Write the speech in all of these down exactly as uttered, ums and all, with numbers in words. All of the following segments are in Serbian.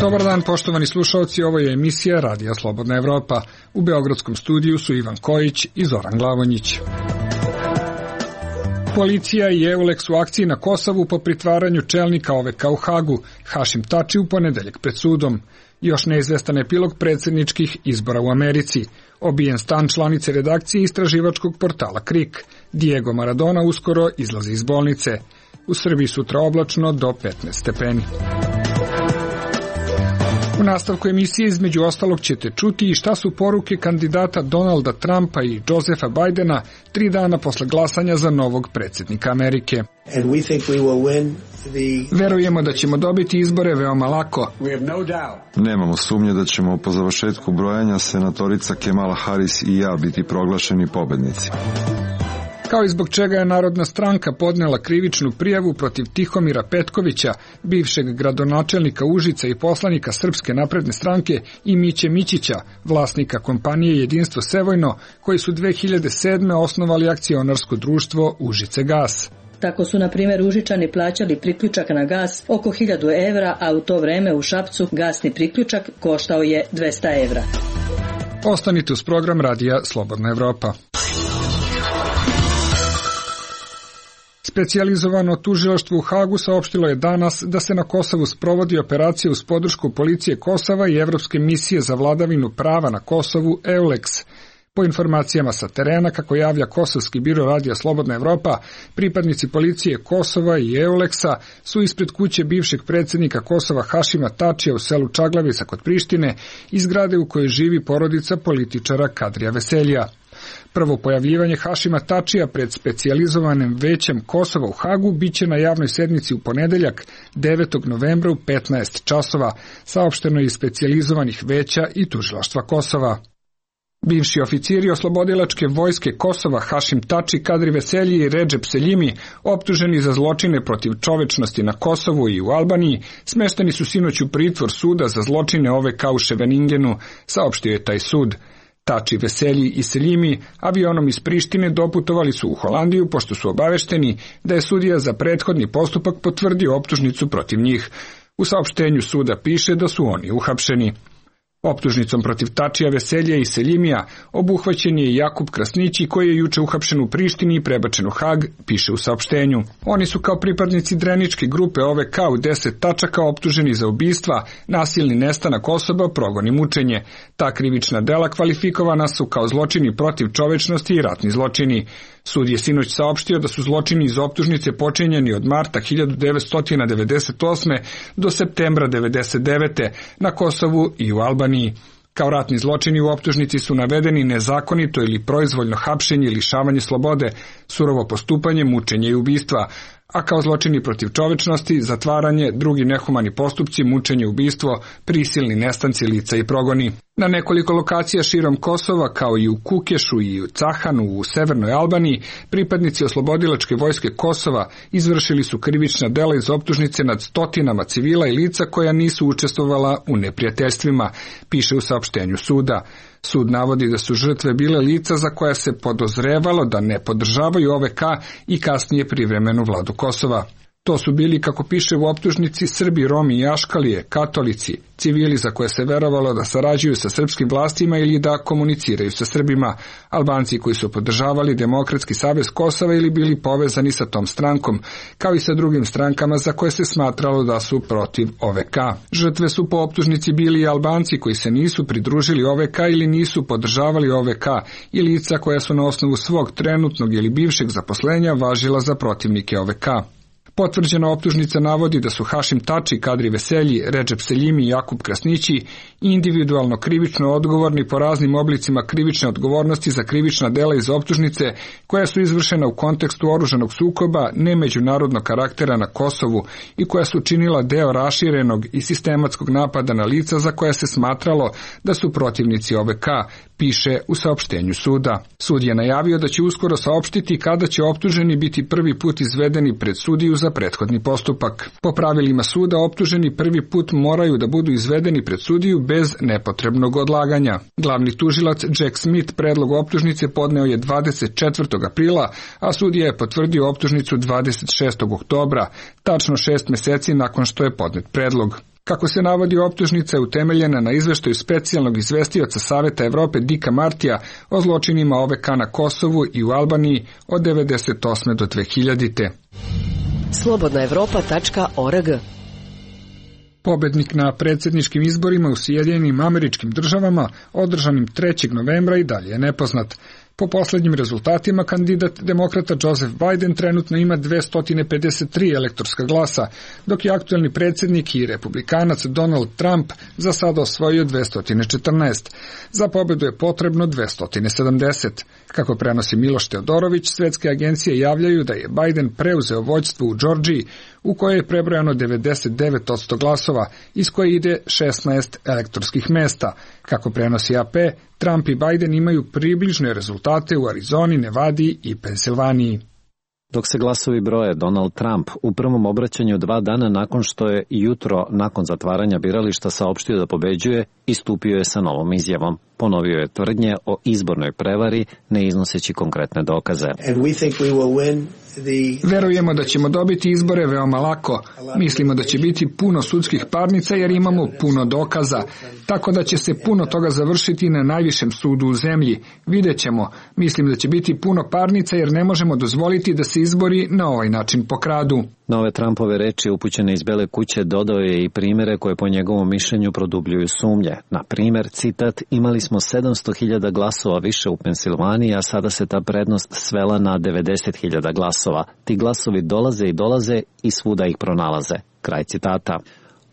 Dobar dan, poštovani slušalci, ovo je emisija Radija Slobodna Evropa. U beogradskom studiju su Ivan Kojić i Zoran Glavonjić. Policija i EULEX u akciji na Kosovu po pritvaranju čelnika O V K u Hagu, Hašim Tači u ponedeljak pred sudom. Još neizvestan epilog predsjedničkih izbora u Americi. Obijen stan članice redakcije istraživačkog portala Krik. Diego Maradona uskoro izlazi iz bolnice. U Srbiji sutra oblačno do petnaest stepeni. U nastavku emisije između ostalog ćete čuti i šta su poruke kandidata Donalda Trumpa i Josefa Bajdena tri dana posle glasanja za novog predsjednika Amerike. Verujemo da ćemo dobiti izbore veoma lako. Nemamo sumnje da ćemo po završetku brojanja senatorica Kamala Harris i ja biti proglašeni pobednici. Kao i zbog čega je Narodna stranka podnela krivičnu prijavu protiv Tihomira Petkovića, bivšeg gradonačelnika Užica i poslanika Srpske napredne stranke, i Miće Mićića, vlasnika kompanije Jedinstvo Sevojno, koji su dve hiljade sedme. osnovali akcionarsko društvo Užice gas. Tako su, na primjer, Užičani plaćali priključak na gas oko hiljadu evra, a u to vreme u Šapcu gasni priključak koštao je dvesta evra. Ostanite uz program Radija Slobodna Evropa. Specijalizovano tužilaštvo u Hagu saopštilo je danas da se na Kosovu sprovodi operacija uz podršku policije Kosova i Evropske misije za vladavinu prava na Kosovu EULEX. Po informacijama sa terena, kako javlja Kosovski biro Radija Slobodna Evropa, pripadnici policije Kosova i EULEX-a su ispred kuće bivšeg predsjednika Kosova Hašima Tačija u selu Čaglavica kod Prištine i zgrade u kojoj živi porodica političara Kadrija Veseljija. Prvo pojavljivanje Hašima Tačija pred specijalizovanim većem Kosova u Hagu biće na javnoj sednici u ponedeljak devetog novembra u petnaest časova, saopšteno iz specijalizovanih veća i tužilaštva Kosova. Bivši oficiri oslobodilačke vojske Kosova Hašim Tači, Kadri Veselji i Redžep Seljimi, optuženi za zločine protiv čovečnosti na Kosovu i u Albaniji, smešteni su sinoć u pritvor suda za zločine O V K u Ševeningenu, saopštio je taj sud. Tači, Veselji i Seljimi avionom iz Prištine doputovali su u Holandiju pošto su obavešteni da je sudija za prethodni postupak potvrdio optužnicu protiv njih. U saopštenju suda piše da su oni uhapšeni. Optužnicom protiv Tačija, Veselja i Seljimija obuhvaćen je i Jakub Krasnići, koji je juče uhapšen u Prištini i prebačen u Hag, piše u saopštenju. Oni su kao pripadnici Dreničke grupe O V K u deset tačaka optuženi za ubistva, nasilni nestanak osoba, progon i mučenje. Ta krivična dela kvalifikovana su kao zločini protiv čovečnosti i ratni zločini. Sud je sinoć saopštio da su zločini iz optužnice počinjeni od marta hiljadu devetsto devedeset osme. do septembra devedeset devete. na Kosovu i u Albaniji. Kao ratni zločini u optužnici su navedeni nezakonito ili proizvoljno hapšenje, lišavanje slobode, surovo postupanje, mučenje i ubistva, a kao zločini protiv čovečnosti, zatvaranje, drugi nehumani postupci, mučenje, ubistvo, prisilni nestanci lica i progoni. Na nekoliko lokacija širom Kosova, kao i u Kukešu i u Cahanu u severnoj Albaniji, pripadnici oslobodilačke vojske Kosova izvršili su krivična dela iz optužnice nad stotinama civila i lica koja nisu učestvovala u neprijateljstvima, piše u saopštenju suda. Sud navodi da su žrtve bile lica za koja se podozrevalo da ne podržavaju O V K i kasnije privremenu vladu Kosova. To su bili, kako piše u optužnici, Srbi, Romi i Aškalije, katolici, civili za koje se verovalo da sarađuju sa srpskim vlastima ili da komuniciraju sa Srbima, Albanci koji su podržavali Demokratski savez Kosova ili bili povezani sa tom strankom, kao i sa drugim strankama za koje se smatralo da su protiv O V K. Žrtve su po optužnici bili i Albanci koji se nisu pridružili O V K ili nisu podržavali O V K i lica koja su na osnovu svog trenutnog ili bivšeg zaposlenja važila za protivnike O V K. Potvrđena optužnica navodi da su Hašim Tači, Kadri Veselji, Redžep Seljimi i Jakub Krasnići individualno krivično odgovorni po raznim oblicima krivične odgovornosti za krivična dela iz optužnice koja su izvršena u kontekstu oružanog sukoba nemeđunarodnog karaktera na Kosovu i koja su činila deo raširenog i sistematskog napada na lica za koja se smatralo da su protivnici O V K, piše u saopštenju suda. Sud je najavio da će uskoro saopštiti kada će optuženi biti prvi put izvedeni pred sudiju za prethodni postupak. Po pravilima suda optuženi prvi put moraju da budu izvedeni pred sudiju bez nepotrebnog odlaganja. Glavni tužilac Jack Smith predlog optužnice podneo je dvadeset četvrtog aprila, a sudija je potvrdio optužnicu dvadeset šestog oktobra, tačno šest meseci nakon što je podnet predlog. Kako se navodi, optužnica je utemeljena na izveštaju specijalnog izvestioca Saveta Evrope Dicka Martija o zločinima O V K na Kosovu i u Albaniji od devedeset osme do dve hiljadite. slobodna evropa tačka org. Pobednik na predsjedničkim izborima u Sjedinjenim Američkim Državama, održanim trećeg novembra, i dalje je nepoznat. Po posljednjim rezultatima, kandidat demokrata Joseph Biden trenutno ima dvesta pedeset tri elektorska glasa, dok je aktuelni predsjednik i republikanac Donald Trump za sada osvojio dvesta četrnaest. Za pobedu je potrebno dvesta sedamdeset. Kako prenosi Miloš Teodorović, svetske agencije javljaju da je Biden preuzeo vođstvo u Džordžiji, u kojoj je prebrojano devedeset devet posto glasova, iz koje ide šesnaest elektorskih mesta. Kako prenosi A P, Trump i Biden imaju približne rezultate u Arizoni, Nevadi i Pensilvaniji. Dok se glasovi broje, Donald Trump u prvom obraćanju dva dana nakon što je jutro nakon zatvaranja birališta saopštio da pobeđuje, istupio je sa novom izjavom. Ponovio je tvrdnje o izbornoj prevari, ne iznoseći konkretne dokaze. Verujemo da ćemo dobiti izbore veoma lako. Mislimo da će biti puno sudskih parnica jer imamo puno dokaza, tako da će se puno toga završiti na najvišem sudu u zemlji. Vidjet ćemo. Mislim da će biti puno parnica jer ne možemo dozvoliti da se izbori na ovaj način pokradu. Na ove Trumpove reči upućene iz Bele kuće dodao je i primere koje po njegovom mišljenju produbljuju sumnje. Na primer, citat, imali smo sedamsto hiljada glasova više u Pensilvaniji, a sada se ta prednost svela na devedeset hiljada glasova. Ti glasovi dolaze i dolaze i svuda ih pronalaze. Kraj citata.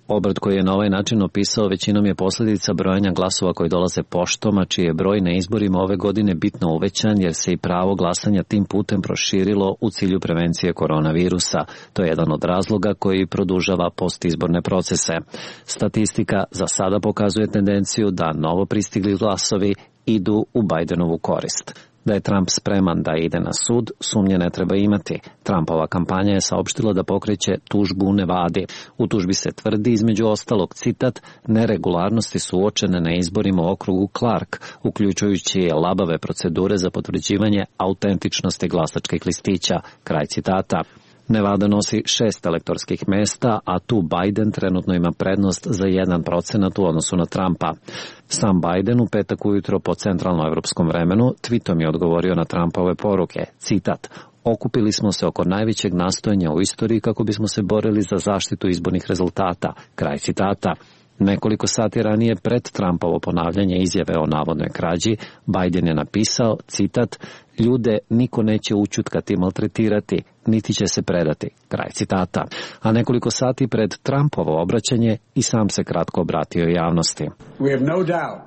Obrt koji je na ovaj način opisao većinom je posljedica brojanja glasova koji dolaze poštom, a čiji je broj na izborima ove godine bitno uvećan jer se i pravo glasanja tim putem proširilo u cilju prevencije koronavirusa. To je jedan od razloga koji produžava postizborne procese. Statistika za sada pokazuje tendenciju da novo pristigli glasovi idu u Bidenovu korist. Da je Trump spreman da ide na sud, sumnje ne treba imati. Trumpova kampanja je saopštila da pokreće tužbu u Nevadi. U tužbi se tvrdi, između ostalog, citat, neregularnosti su uočene na izborima u okrugu Clark, uključujući labave procedure za potvrđivanje autentičnosti glasačkih listića. Kraj citata. Nevada nosi šest elektorskih mesta, a tu Biden trenutno ima prednost za jedan procenat u odnosu na Trumpa. Sam Biden u petak ujutro po centralnoevropskom vremenu tweetom je odgovorio na Trumpove poruke, citat, okupili smo se oko najvećeg nastojanja u istoriji kako bismo se borili za zaštitu izbornih rezultata, kraj citata. Nekoliko sati ranije pred Trumpovo ponavljanje izjave o navodnoj krađi, Biden je napisao, citat, ljude niko neće učutkati, maltretirati, niti će se predati, kraj citata. A nekoliko sati pred Trumpovo obraćanje i sam se kratko obratio javnosti.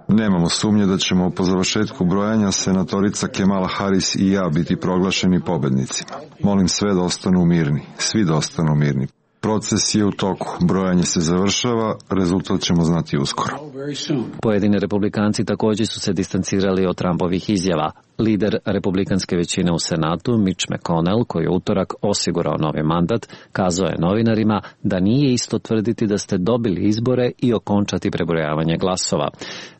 Nemamo sumnje da ćemo po završetku brojanja senatorica Kamala Harris i ja biti proglašeni pobednicima. Molim sve da ostanu mirni, svi da ostanu mirni. Proces je u toku, brojanje se završava, rezultat ćemo znati uskoro. Pojedini republikanci također su se distancirali od Trumpovih izjava. Lider republikanske većine u Senatu, Mitch McConnell, koji je utorak osigurao novi mandat, kazao je novinarima da nije isto tvrditi da ste dobili izbore i okončati prebrojavanje glasova.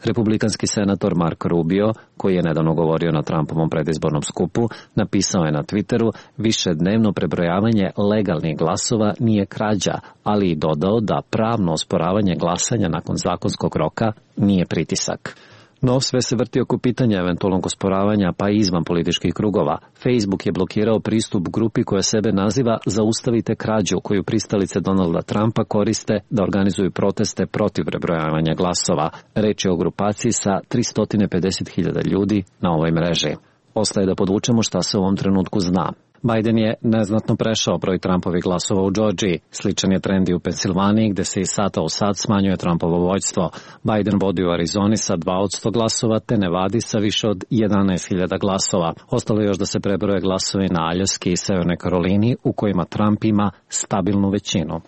Republikanski senator Mark Rubio, koji je nedavno govorio na Trumpovom predizbornom skupu, napisao je na Twitteru, višednevno prebrojavanje legalnih glasova nije krađa, ali i dodao da pravno osporavanje glasanja nakon zakonskog roka nije pritisak. No, sve se vrti oko pitanja eventualnog osporavanja, pa i izvan političkih krugova. Facebook je blokirao pristup grupi koja sebe naziva Zaustavite krađu, koju pristalice Donalda Trumpa koriste da organizuju proteste protiv prebrojavanja glasova. Reč je o grupaciji sa tristo pedeset hiljada ljudi na ovoj mreži. Ostaje da podvučemo šta se u ovom trenutku zna. Biden je neznatno prešao broj Trumpovih glasova u Džordžiji. Sličan je trend i u Pensilvaniji, gde se iz sata u sat smanjuje Trumpovo vođstvo. Biden vodi u Arizoni sa dva od sto glasova, te Nevadi sa više od jedanaest hiljada glasova. Ostalo je još da se prebroje glasovi na Aljaski i Severnoj Karolini, u kojima Trump ima stabilnu većinu.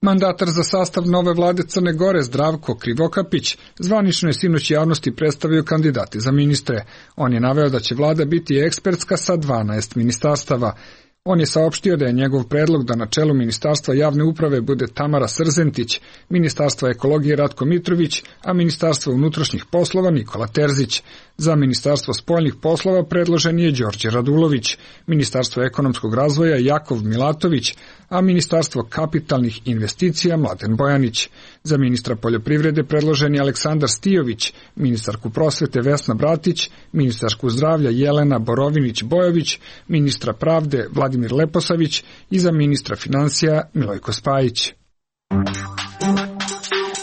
Mandatar za sastav nove vlade Crne Gore Zdravko Krivokapić zvanično je sinoć javnosti predstavio kandidate za ministre. On je naveo da će vlada biti ekspertska sa dvanaest ministarstava. On je saopštio da je njegov predlog da na čelu Ministarstva javne uprave bude Tamara Srzentić, Ministarstva ekologije Ratko Mitrović, a Ministarstva unutrašnjih poslova Nikola Terzić. Za Ministarstvo spoljnih poslova predložen je Đorđe Radulović, Ministarstvo ekonomskog razvoja Jakov Milatović, a Ministarstvo kapitalnih investicija Mladen Bojanić. Za ministra poljoprivrede predložen je Aleksandar Stijović, ministarku prosvete Vesna Bratić, ministarku zdravlja Jelena Borovinić-Bojović, ministra pravde Vladimir Leposavić i za ministra finansija Milojko Spajić.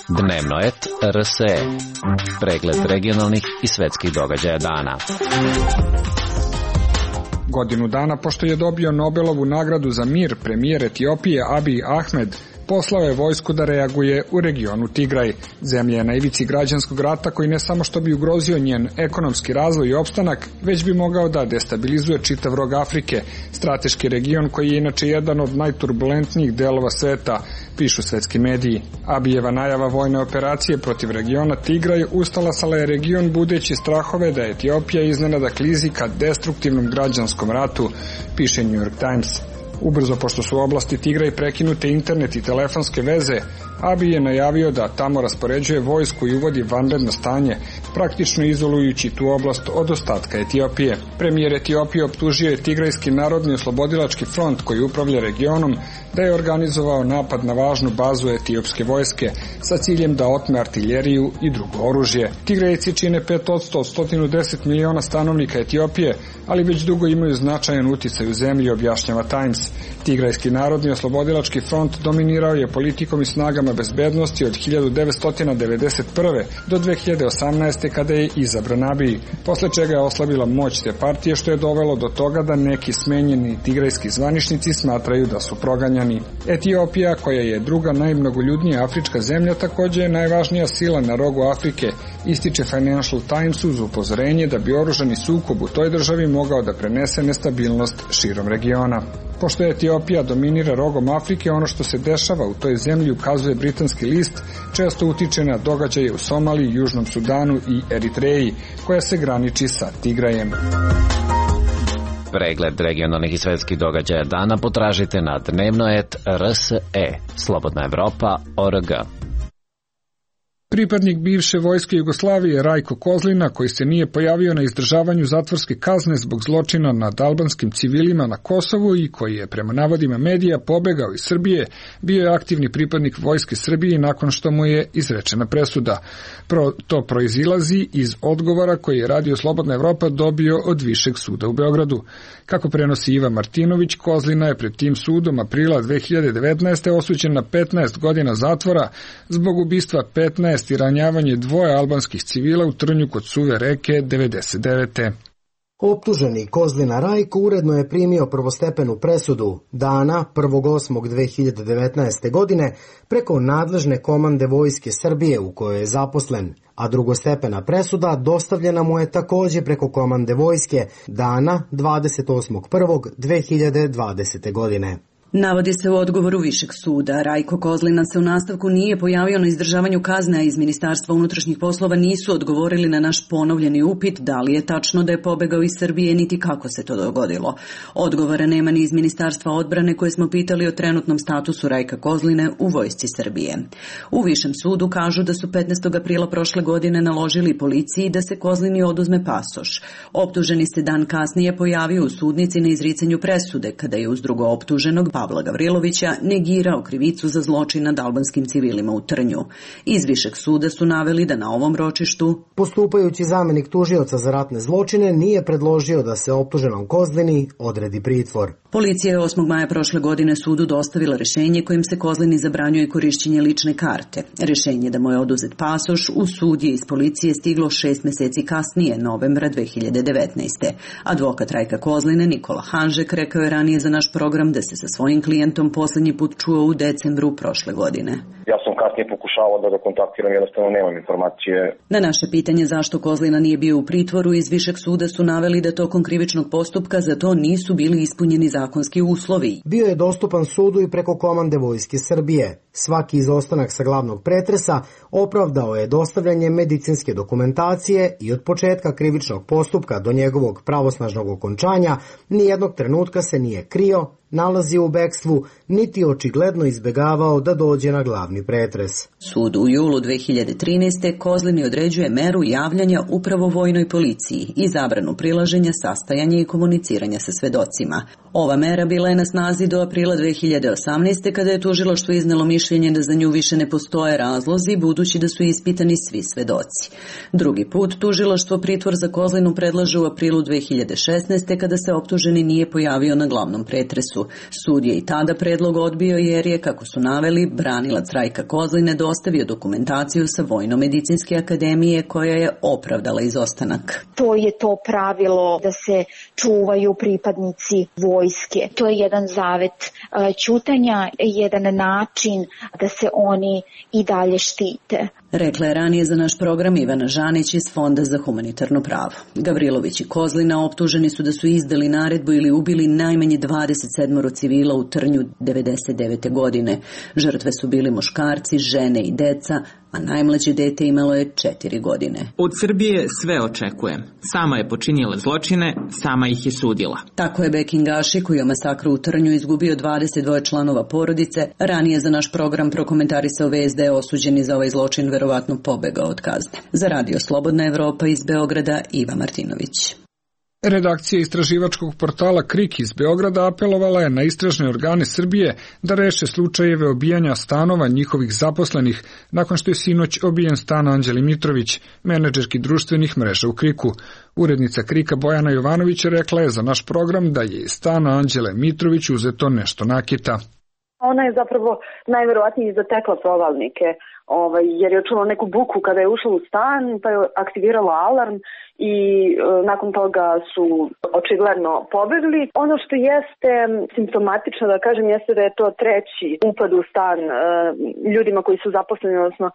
Dnevnoet R S E. Pregled regionalnih i svetskih događaja dana. Godinu dana pošto je dobio Nobelovu nagradu za mir, premijer Etiopije Abiy Ahmed poslao je vojsku da reaguje u regionu Tigraj. Zemlja je na ivici građanskog rata koji ne samo što bi ugrozio njen ekonomski razvoj i opstanak, već bi mogao da destabilizuje čitav rog Afrike, strateški region koji je inače jedan od najturbulentnijih delova sveta, pišu svetski mediji. Abijeva najava vojne operacije protiv regiona Tigraj ustalasala je region budeći strahove da Etiopija iznenada klizi ka destruktivnom građanskom ratu, piše New York Times. Ubrzo, pošto su u oblasti Tigraj prekinute internet i telefonske veze, Abiy je najavio da tamo raspoređuje vojsku i uvodi vanredno stanje, praktično izolujući tu oblast od ostatka Etiopije. Premijer Etiopije optužio je Tigrajski narodni oslobodilački front koji upravlja regionom da je organizovao napad na važnu bazu etiopske vojske sa ciljem da otme artiljeriju i drugo oružje. Tigrajci čine pet posto od sto deset miliona stanovnika Etiopije, ali već dugo imaju značajan uticaj u zemlji, objašnjava Times. Tigrajski narodni oslobodilački front dominirao je politikom i snagama bezbednosti od hiljadu devetsto devedeset prve do dve hiljade osamnaeste. kada je izabran Abiy, posle čega je oslabila moć te partije, što je dovelo do toga da neki smenjeni tigrajski zvaničnici smatraju da su proganjani. Etiopija, koja je druga najmnogoljudnija afrička zemlja, takođe je najvažnija sila na rogu Afrike, ističe Financial Times uz upozorenje da bi oružani sukob u toj državi mogao da prenese nestabilnost širom regiona. Pošto Etiopija dominira rogom Afrike, ono što se dešava u toj zemlji, ukazuje britanski list, često utiče na događaje u Somaliji, Južnom Sudanu i Eritreji, koja se graniči sa Tigrajem. Pregled regionalnih i svetskih događaja dana potražite na Dnevnoet R S E. Slobodna Evropa O R G. Pripadnik bivše vojske Jugoslavije Rajko Kozlina, koji se nije pojavio na izdržavanju zatvorske kazne zbog zločina nad albanskim civilima na Kosovu i koji je prema navodima medija pobegao iz Srbije, bio je aktivni pripadnik vojske Srbije nakon što mu je izrečena presuda. Pro, to proizilazi iz odgovora koji je Radio Slobodna Evropa dobio od Višeg suda u Beogradu. Kako prenosi Iva Martinović, Kozlina je pred tim sudom aprila dve hiljade devetnaeste. osuđen na petnaest godina zatvora zbog ubistva petnaest i ranjavanje dvoje albanskih civila u Trnju kod Suve reke devedeset devete. Optuženi Kozlina Rajko uredno je primio prvostepenu presudu dana prvog osmog dve hiljade devetnaeste. godine preko nadležne komande Vojske Srbije u kojoj je zaposlen, a drugostepena presuda dostavljena mu je takođe preko komande Vojske dana dvadeset osmog prvog dve hiljade dvadesete. godine. Navodi se u odgovoru Višeg suda. Rajko Kozlina se u nastavku nije pojavio na izdržavanju kazne, a iz Ministarstva unutrašnjih poslova nisu odgovorili na naš ponovljeni upit da li je tačno da je pobegao iz Srbije, niti kako se to dogodilo. Odgovora nema ni iz Ministarstva odbrane koje smo pitali o trenutnom statusu Rajka Kozline u vojsci Srbije. U Višem sudu kažu da su petnaestog aprila prošle godine naložili policiji da se Kozlini oduzme pasoš. Optuženi se dan kasnije pojavio u sudnici na izricanju presude, kada je uz drugo optuženog Pavla Gavrilovića negirao krivicu za zločin nad albanskim civilima u Trnju. Iz Višeg suda su naveli da na ovom ročištu postupajući zamenik tužioca za ratne zločine nije predložio da se optuženom Kozlini odredi pritvor. Policija je osmog maja prošle godine sudu dostavila rešenje kojim se Kozlini zabranjuje korišćenje lične karte. Rešenje da mu je oduzet pasoš u sud je iz policije stiglo šest meseci kasnije, novembra dve hiljade devetnaeste. Advokat Rajka Kozline Nikola Hanžek rekao je ranije za naš program da se sa svojim klijentom poslednji put čuo u decembru prošle godine. Ja sam kasnije pokušavao da ga kontaktiram, jednostavno nemam informacije. Na naše pitanje zašto Kozlina nije bio u pritvoru, iz Višeg suda su naveli da tokom krivičnog postupka za to nisu bili ispunjeni zakonski uslovi. Bio je dostupan sudu i preko komande Vojske Srbije. Svaki izostanak sa glavnog pretresa opravdao je dostavljanje medicinske dokumentacije i od početka krivičnog postupka do njegovog pravosnažnog okončanja nijednog trenutka se nije krio, nalazio u bekstvu, niti očigledno izbegavao da dođe na glavni pretres. Sud u julu dve hiljade trinaeste. Kozlini određuje meru javljanja upravo vojnoj policiji i zabranu prilaženja, sastajanja i komuniciranja sa svedocima. Ova mera bila je na snazi do aprila dve hiljade osamnaeste. kada je tužilaštvo iznelo mišljenje da za nju više ne postoje razlozi, budući da su ispitani svi svedoci. Drugi put tužilaštvo pritvor za Kozlinu predlaže u aprilu dve hiljade šesnaeste. kada se optuženi nije pojavio na glavnom pretresu. Sud je i tada predlog odbio jer je, kako su naveli, branilac Rajka Kozline dostavio dokumentaciju sa Vojno-medicinske akademije koja je opravdala izostanak. To je to pravilo da se čuvaju pripadnici vojske. To je jedan zavet ćutanja, jedan način da se oni i dalje štite. Rekla je ranije za naš program Ivana Žanić iz Fonda za humanitarno pravo. Gavrilović i Kozlina optuženi su da su izdali naredbu ili ubili najmanje dvadeset sedam civila u Trnju devedeset devete. godine. Žrtve su bili muškarci, žene i deca, a najmlađe dete imalo je četiri godine. Od Srbije sve očekujem. Sama je počinila zločine, sama ih je sudila. Tako je Bekin Gaši, koji je masakru u Trnju izgubio dvadeset dva članova porodice, ranije za naš program prokomentarisao vest da je osuđeni za ovaj zločin verovatno pobegao od kazne. Za Radio Slobodna Evropa iz Beograda, Iva Martinović. Redakcija istraživačkog portala Krik iz Beograda apelovala je na istražne organe Srbije da reše slučajeve obijanja stanova njihovih zaposlenih nakon što je sinoć obijen stan Anđeli Mitrović, menadžerki društvenih mreža u Kriku. Urednica Krika Bojana Jovanović rekla je za naš program da je iz stana Anđele Mitrović uzeto nešto nakita. Ona je zapravo najverovatnije zatekla provalnike, ovaj, jer je čula neku buku kada je ušla u stan, pa je aktivirala alarm i e, nakon toga su očigledno pobegli. Ono što jeste simptomatično, da kažem, jeste da je to treći upad u stan e, ljudima koji su zaposleni, odnosno e,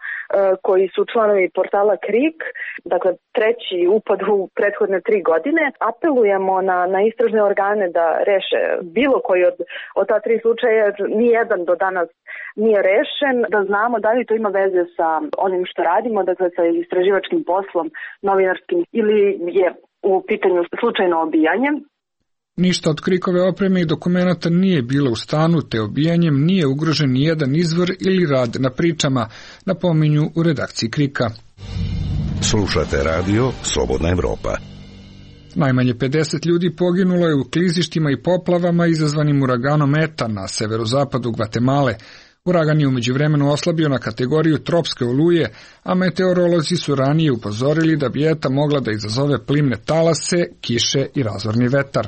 koji su članovi portala Krik, dakle treći upad u prethodne tri godine. Apelujemo na, na istražne organe da reše bilo koji od, od ta tri slučaja, jer nijedan do danas nije rešen, da znamo da li to ima veze sa onim što radimo, dakle sa istraživačkim poslom, novinarskim, ili je u pitanju slučajno obijanje. Ništa od Krikove opreme i dokumenata nije bilo u stanu, te obijanjem nije ugrožen ni jedan izvor ili rad na pričama, napominju u redakciji Krika. Slušate radio Slobodna Evropa. Najmanje pedeset ljudi poginulo je u klizištima i poplavama izazvanim uraganom Eta na severozapadu Gvatemale. Uragan je umeđu vremenu oslabio na kategoriju tropske oluje, a meteorolozi su ranije upozorili da bi Eta mogla da izazove plimne talase, kiše i razorni vetar.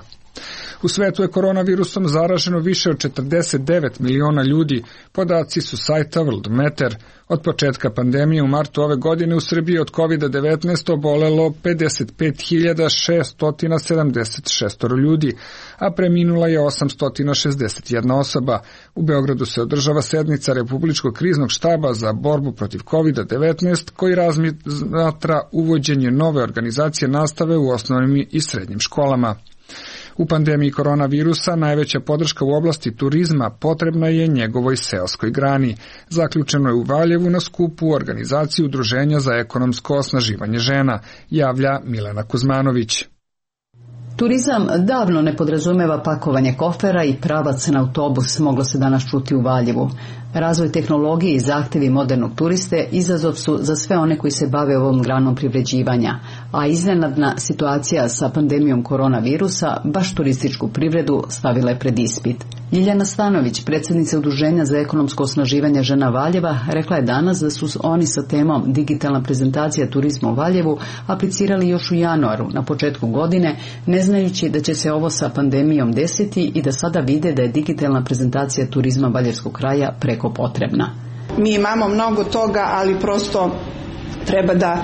U svetu je koronavirusom zaraženo više od četrdeset devet miliona ljudi, podaci su sajta Worldometer. Od početka pandemije u martu ove godine u Srbiji od kovid devetnaest obolelo pedeset pet hiljada šesto sedamdeset šest ljudi, a preminula je osamsto šezdeset jedna osoba. U Beogradu se održava sednica Republičkog kriznog štaba za borbu protiv kovid devetnaest, koji razmatra uvođenje nove organizacije nastave u osnovnim i srednjim školama. U pandemiji koronavirusa najveća podrška u oblasti turizma potrebna je njegovoj seoskoj grani. Zaključeno je u Valjevu na skupu organizaciji Udruženja za ekonomsko osnaživanje žena, javlja Milena Kuzmanović. Turizam davno ne podrazumeva pakovanje kofera i pravac na autobus, moglo se danas čuti u Valjevu. Razvoj tehnologije i zahtevi modernog turiste izazov su za sve one koji se bave ovom granom privređivanja, a iznenadna situacija sa pandemijom koronavirusa baš turističku privredu stavila je pred ispit. Ljiljana Stanović, predsjednica Udruženja za ekonomsko osnaživanje žena Valjeva, rekla je danas da su oni sa temom digitalna prezentacija turizma u Valjevu aplicirali još u januaru, na početku godine, ne znajući da će se ovo sa pandemijom desiti i da sada vide da je digitalna prezentacija turizma Valjevskog kraja preko potrebna. Mi imamo mnogo toga, ali prosto treba da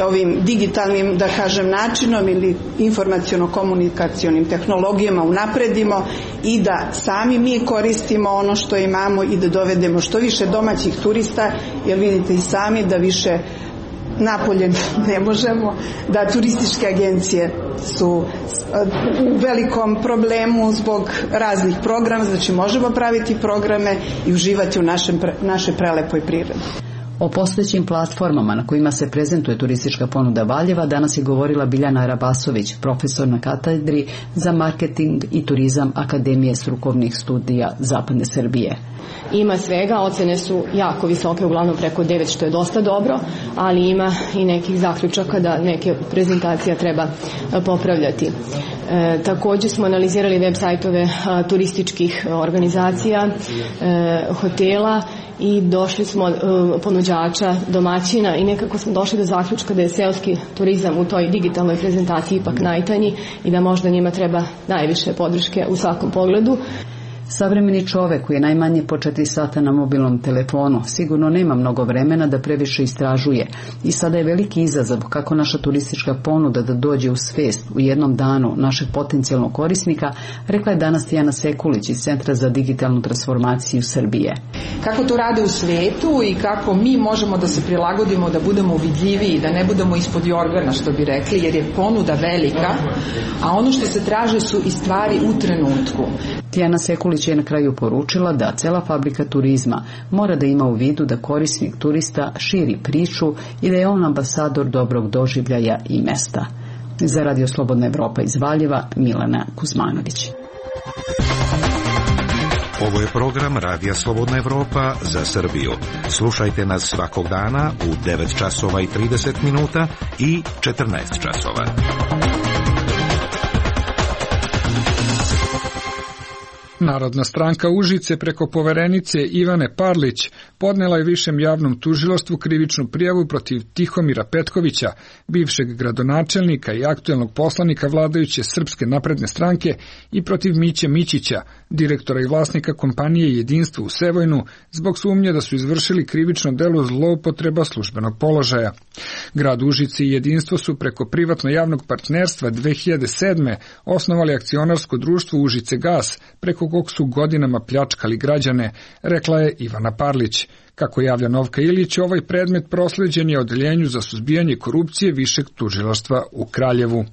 ovim digitalnim, da kažem, načinom ili informaciono-komunikacionim tehnologijama unapredimo i da sami mi koristimo ono što imamo i da dovedemo što više domaćih turista, jer vidite i sami da više napolje ne možemo, da turističke agencije su u velikom problemu zbog raznih programa, znači možemo praviti programe i uživati u našem, našoj prelepoj prirodi. O postojećim platformama na kojima se prezentuje turistička ponuda Valjeva danas je govorila Biljana Rabasović, profesor na katedri za marketing i turizam Akademije strukovnih studija Zapadne Srbije. Ima svega, ocene su jako visoke, uglavnom preko devet, što je dosta dobro, ali ima i nekih zaključaka da neke prezentacija treba popravljati. E, također smo analizirali web sajtove a, turističkih organizacija, e, hotela i došli smo e, ponuđača, domaćina i nekako smo došli do zaključka da je seoski turizam u toj digitalnoj prezentaciji ipak najtanji i da možda njima treba najviše podrške u svakom pogledu. Savremeni čovek koji je najmanje po četiri sata na mobilnom telefonu sigurno nema mnogo vremena da previše istražuje i sada je veliki izazov kako naša turistička ponuda da dođe u svest u jednom danu našeg potencijalnog korisnika, rekla je danas Tijana Sekulić iz Centra za digitalnu transformaciju Srbije. Kako to rade u svetu i kako mi možemo da se prilagodimo, da budemo vidljiviji, da ne budemo ispod jorgana, što bi rekli, jer je ponuda velika, a ono što se traže su i stvari u trenutku. Tijana Sekulić je na kraju poručila da cela fabrika turizma mora da ima u vidu da korisnik turista širi priču i da je on ambasador dobrog doživljaja i mesta. Za Radio Slobodna Evropa iz Valjeva, Milana Kuzmanović. Ovo je program Radija Slobodna Evropa za Srbiju. Slušajte nas svakog dana u devet časova i trideset minuta i četrnaest časova. Narodna stranka Užice preko poverenice Ivane Parlić podnela je Višem javnom tužilaštvu krivičnu prijavu protiv Tihomira Petkovića, bivšeg gradonačelnika i aktuelnog poslanika vladajuće Srpske napredne stranke, i protiv Miće Mićića, direktora i vlasnika kompanije Jedinstvo u Sevojnu, zbog sumnje da su izvršili krivično delo zloupotreba službenog položaja. Grad Užice i Jedinstvo su preko privatno-javnog partnerstva dve hiljade sedme osnovali akcionarsko društvo Užice gas, preko kog su godinama pljačkali građane, rekla je Ivana Parlić. Kako javlja Novka Ilić, ovaj predmet prosleđen je Odeljenju za suzbijanje korupcije Višeg tužilaštva u Kraljevu.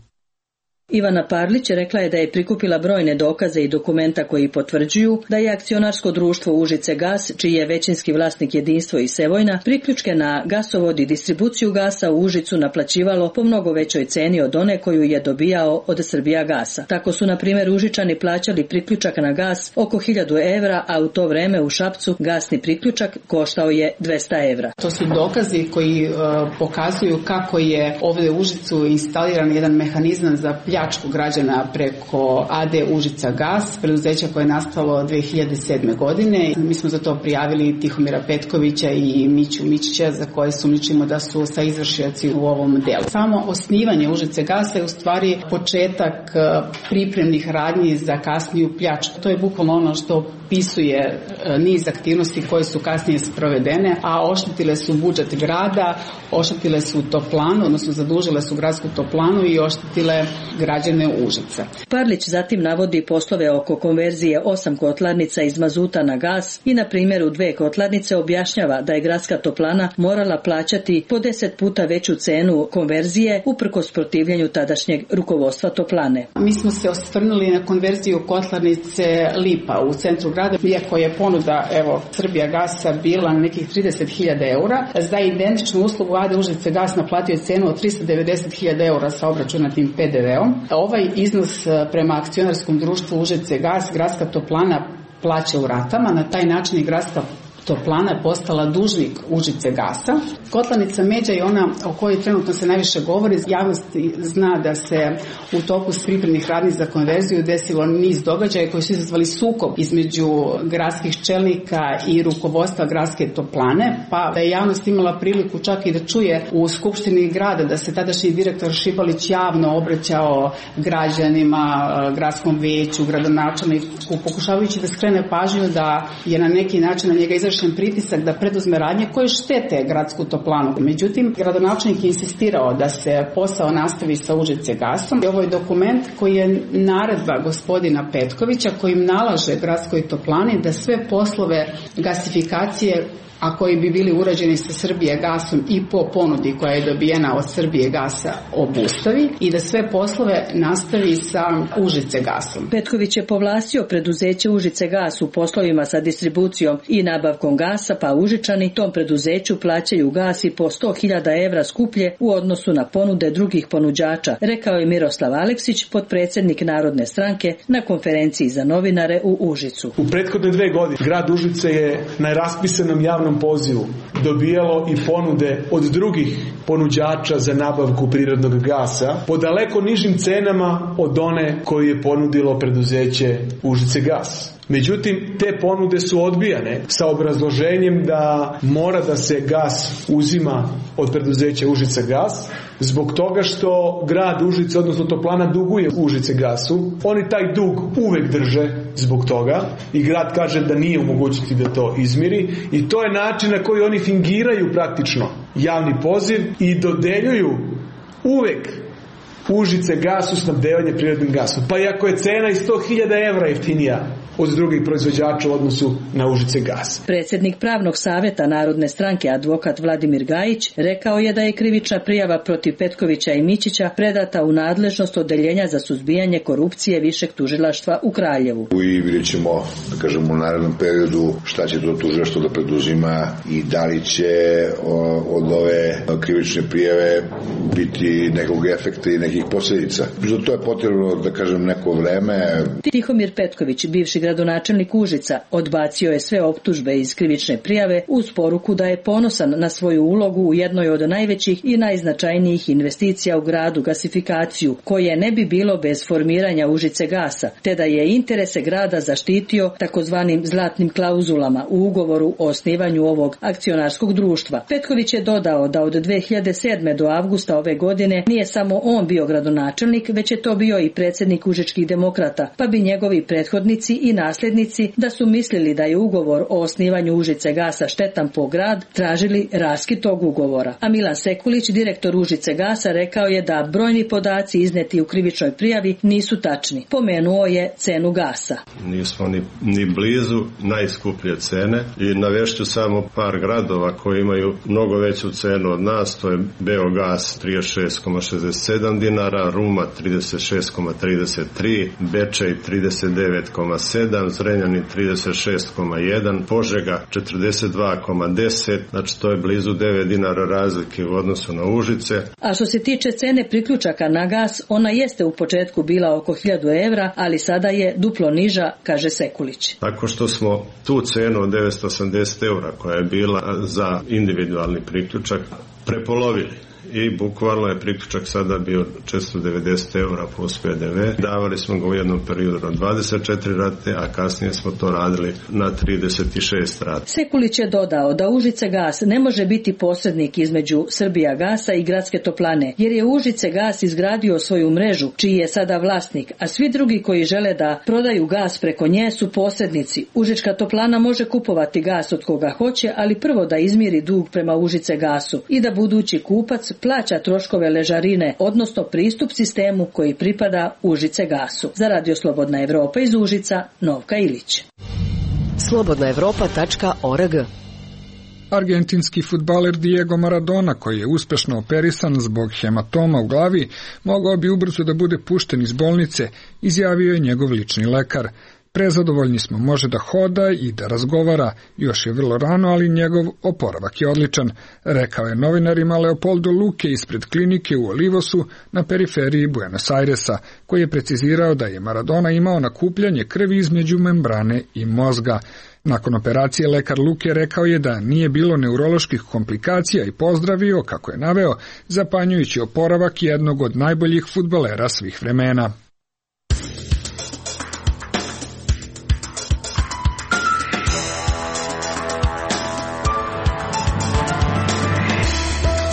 Ivana Parlić rekla je da je prikupila brojne dokaze i dokumenta koji potvrđuju da je akcionarsko društvo Užice gas, čiji je većinski vlasnik Jedinstvo i Sevojna, priključke na gasovod i distribuciju gasa u Užicu naplaćivalo po mnogo većoj ceni od one koju je dobijao od Srbija gasa. Tako su, na primjer, Užičani plaćali priključak na gas oko hiljadu evra, a u to vreme u Šapcu gasni priključak koštao je dvesta evra. To su dokazi koji uh, pokazuju kako je ovdje u Užicu instaliran jedan mehanizam za pljačku građana preko A D Užica gas, preduzeća koje je nastalo dve hiljade sedme. godine. Mi smo za to prijavili Tihomira Petkovića i Miću Mićića, za koje sumnjičimo da su sa izvršioci u ovom delu. Samo osnivanje Užice gasa je u stvari početak pripremnih radnji za kasniju pljačku. To je bukvalno ono što pisuje niz aktivnosti koje su kasnije sprovedene, a oštetile su budžet grada, oštetile su toplanu, odnosno zadužile su gradsku toplanu i oštetile građane Užica. Parlić zatim navodi poslove oko konverzije osam kotlarnica iz mazuta na gas i na primjeru dve kotlarnice objašnjava da je gradska toplana morala plaćati po deset puta veću cenu konverzije uprkos protivljenju tadašnjeg rukovodstva toplane. Mi smo se osvrnuli na konverziju kotlarnice Lipa u centru grada, iako je ponuda evo Srbija gasa bila na nekih trideset hiljada eura. Za identičnu uslugu A D Užice gas naplatio je cenu od trista devedeset hiljada eura sa obračunatim P D V-om. Ovaj iznos prema akcionarskom društvu Užice gas gradska toplana plaća u ratama, na taj način je gradska toplana je postala dužnik Užice gasa. Kotlarnica Međa je ona o kojoj trenutno se najviše govori. Javnost zna da se u toku pripremnih radnji za konverziju desilo niz događaja koji su izazvali sukob između gradskih čelnika i rukovodstva gradske toplane, pa da je javnost imala priliku čak i da čuje u Skupštini grada da se tadašnji direktor Šibalić javno obraćao građanima, gradskom veću, gradonačelniku, pokušavajući da skrene pažnju da je na neki način na njega izvršen pritisak da preduzme radnje koje štete gradsku toplanu. Međutim, gradonačelnik je insistirao da se posao nastavi sa Užice gasom. Ovo je dokument koji je naredba gospodina Petkovića kojim nalaže gradskoj toplani da sve poslove gasifikacije a koji bi bili urađeni sa Srbije gasom i po ponudi koja je dobijena od Srbije gasa obustavi i da sve poslove nastavi sa Užice gasom. Petković je povlastio preduzeće Užice gas u poslovima sa distribucijom i nabavkom gasa, pa Užičani tom preduzeću plaćaju gas i po sto hiljada evra skuplje u odnosu na ponude drugih ponuđača, rekao je Miroslav Aleksić, potpredsjednik Narodne stranke na konferenciji za novinare u Užicu. U prethodne dve godine grad Užice je na raspisanom javnom pozivu dobijalo i ponude od drugih ponuđača za nabavku prirodnog gasa po daleko nižim cenama od one koju je ponudilo preduzeće Užice gas. Međutim, te ponude su odbijane sa obrazloženjem da mora da se gas uzima od preduzeća Užice gas, zbog toga što grad Užice, odnosno toplana, duguje Užice gasu. Oni taj dug uvek drže zbog toga i grad kaže da nije u mogućnosti da to izmiri i to je način na koji oni fingiraju praktično javni poziv i dodeljuju uvek Užice gasu snabdevanje prirodnim gasom. Pa i ako je cena i sto hiljada evra jeftinija od drugih proizvođača u odnosu na Užice gas. Predsjednik Pravnog savjeta Narodne stranke, advokat Vladimir Gajić, rekao je da je krivična prijava protiv Petkovića i Mićića predata u nadležnost Odeljenja za suzbijanje korupcije Višeg tužilaštva u Kraljevu. I vidjet ćemo, da kažemo, u narednom periodu šta će to tužilaštvo da preduzima i da li će od ove krivične prijave biti nekog efekta i nekih posljedica. Za to je potrebno, da kažem, neko vreme. Tihomir Petković, bivši gradonačelnik Užica, odbacio je sve optužbe iz krivične prijave uz poruku da je ponosan na svoju ulogu u jednoj od najvećih i najznačajnijih investicija u gradu, gasifikaciju, koje ne bi bilo bez formiranja Užice gasa, te da je interese grada zaštitio takozvanim zlatnim klauzulama u ugovoru o osnivanju ovog akcionarskog društva. Petković je dodao da od dve hiljade sedme do avgusta ove godine nije samo on bio gradonačelnik, već je to bio i predsjednik Užičkih demokrata, pa bi njegovi prethodnici i nasljednici, da su mislili da je ugovor o osnivanju Užice gasa štetan po grad, tražili raskid tog ugovora. A Milan Sekulić, direktor Užice gasa, rekao je da brojni podaci izneti u krivičnoj prijavi nisu tačni. Pomenuo je cenu gasa. Nismo ni, ni blizu najskuplje cene i navešću samo par gradova koji imaju mnogo veću cenu od nas, to je Beogas trideset šest zarez šezdeset sedam dinara, Ruma trideset šest zarez trideset tri, Bečej trideset devet zarez sedam, Zrenjanin trideset šest zarez jedan, Požega četrdeset dva zarez deset, znači to je blizu devet dinara razlike u odnosu na Užice. A što se tiče cene priključaka na gas, ona jeste u početku bila oko hiljadu evra, ali sada je duplo niža, kaže Sekulić. Tako što smo tu cenu od devetsto osamdeset evra koja je bila za individualni priključak prepolovili. I bukvalno je priključak sada bio četiristo devedeset evra plus P D V. Davali smo ga u jednom periodu na dvadeset četiri rate, a kasnije smo to radili na trideset šest rate. Sekulić je dodao da Užice gas ne može biti posrednik između Srbija gasa i gradske toplane, jer je Užice gas izgradio svoju mrežu, čiji je sada vlasnik, a svi drugi koji žele da prodaju gas preko nje su posrednici. Užička toplana može kupovati gas od koga hoće, ali prvo da izmiri dug prema Užice gasu i da budući kupac plaća troškove ležarine, odnosno pristup sistemu koji pripada Užice gasu. Za Radio Slobodna Evropa iz Užica, Novka Ilić. slobodna evropa tačka org. Argentinski fudbaler Diego Maradona, koji je uspešno operisan zbog hematoma u glavi, mogao bi ubrzo da bude pušten iz bolnice, izjavio je njegov lični lekar. Prezadovoljni smo, može da hoda i da razgovara, još je vrlo rano, ali njegov oporavak je odličan, rekao je novinarima Leopoldo Luque ispred klinike u Olivosu na periferiji Buenos Airesa, koji je precizirao da je Maradona imao nakupljanje krvi između membrane i mozga. Nakon operacije lekar Luque rekao je da nije bilo neuroloških komplikacija i pozdravio, kako je naveo, zapanjujući oporavak jednog od najboljih fudbalera svih vremena.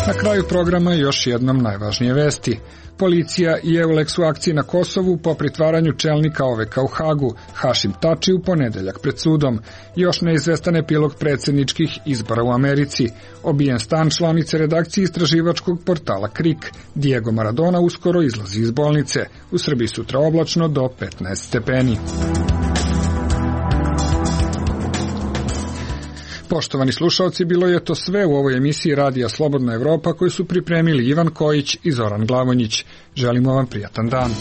Na kraju programa još jednom najvažnije vesti. Policija i Eulex u akciji na Kosovu po pritvaranju čelnika O V K u Hagu, Hašim Tači, u ponedeljak pred sudom. Još neizvestan epilog predsjedničkih izbora u Americi. Obijen stan članice redakcije istraživačkog portala Krik. Diego Maradona uskoro izlazi iz bolnice. U Srbiji sutra oblačno do petnaest stepeni. Poštovani slušalci, bilo je to sve u ovoj emisiji Radija Slobodna Evropa koju su pripremili Ivan Kojić i Zoran Glavonjić. Želimo vam prijatan dan.